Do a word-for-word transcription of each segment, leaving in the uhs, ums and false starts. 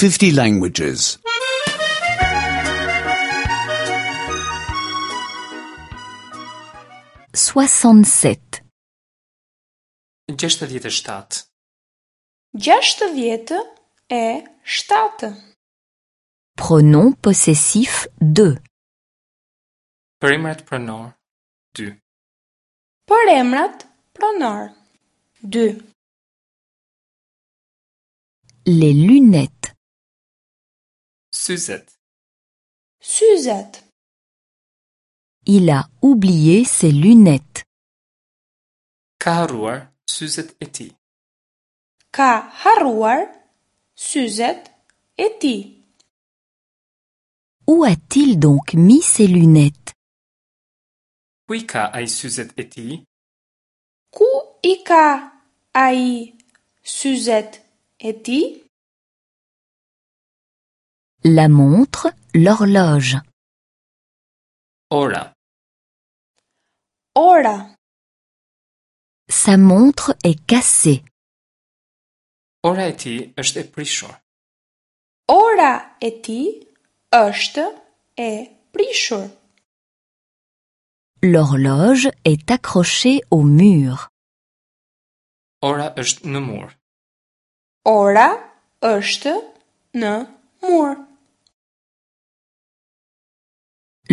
fifty languages. soixante-sept. Gjashtëdhjetë e shtatë. Gjashtëdhjetë e shtatë. Pronom possessif deux. Për emrat pronor dy. Për emrat pronor dy. Les lunettes. Syzet. Syzet. Il a oublié ses lunettes. Ka harruar syzet e tij. Ka harruar syzet e tij. Où a-t-il donc mis ses lunettes? Ku i ka ai syzet e tij? Ku i ka ai syzet e tij? La montre, l'horloge. Ora. Ora. Sa montre est cassée. Ora e tij është e prishur. Ora e tij është e prishur. L'horloge est accrochée au mur. Ora është në mur. Ora është në mur.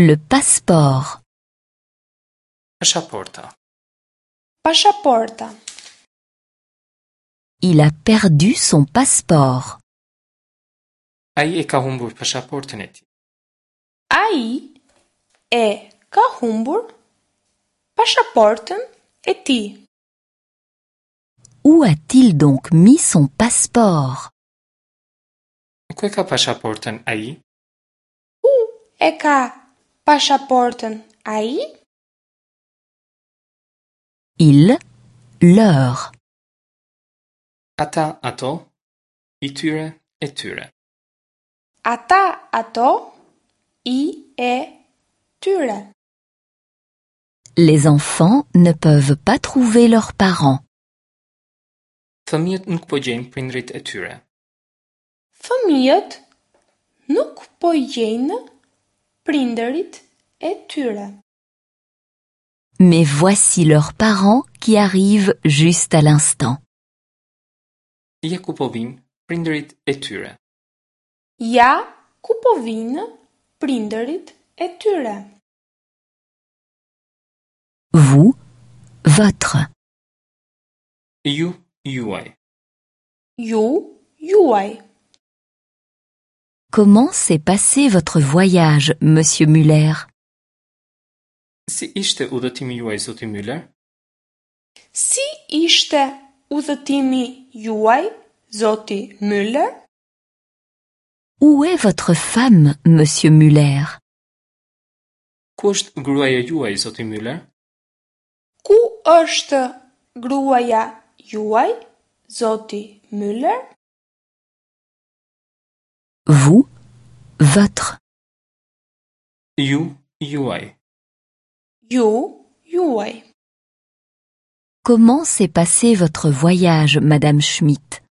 Le passeport. Pashaporta. Pashaporta. Il a perdu son passeport. Ai e ka humbur pashaportën e tij. Ai e ka humbur pashaportën e tij. Où a-t-il donc mis son passeport? Ku e ka pashaportën ai? Ku e ka pashaportën ai? Il, leur. Ata, ato, i tyre, e tyre. Ata, ato, i, e tyre. Les enfants ne peuvent pas trouver leurs parents. Fëmijët nuk po gjejnë prindrit e tyre. Fëmijët nuk po gjejnë prindërit e tyre. Mais voici leurs parents qui arrivent juste à l'instant. Ja ku po vijnë prindërit e tyre. Ja ku po vijnë prindërit e tyre. Vous, votre. Ju, juaj. Ju, juaj. Comment s'est passé votre voyage, monsieur Muller? Si ishte udhëtimi juaj, zoti Müller? Si ishte udhëtimi juaj, zoti Müller? Où est votre femme, monsieur Muller? Ku është gruaja juaj, zoti Müller? Ku është gruaja juaj, zoti Müller? Vous, votre. Ju, juaj. Ju, juaj. Comment s'est passé votre voyage, madame Schmidt?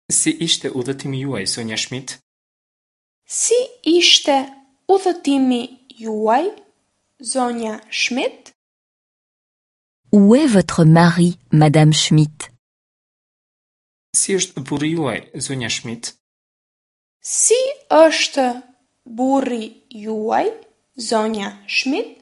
Si ishte udhëtimi juaj, zonja Schmidt? Si ishte udhëtimi juaj, zonja Schmidt? Où est votre mari, madame Schmidt? Si është burri juaj, zonja Schmidt? Si është burri juaj, zonja Schmidt?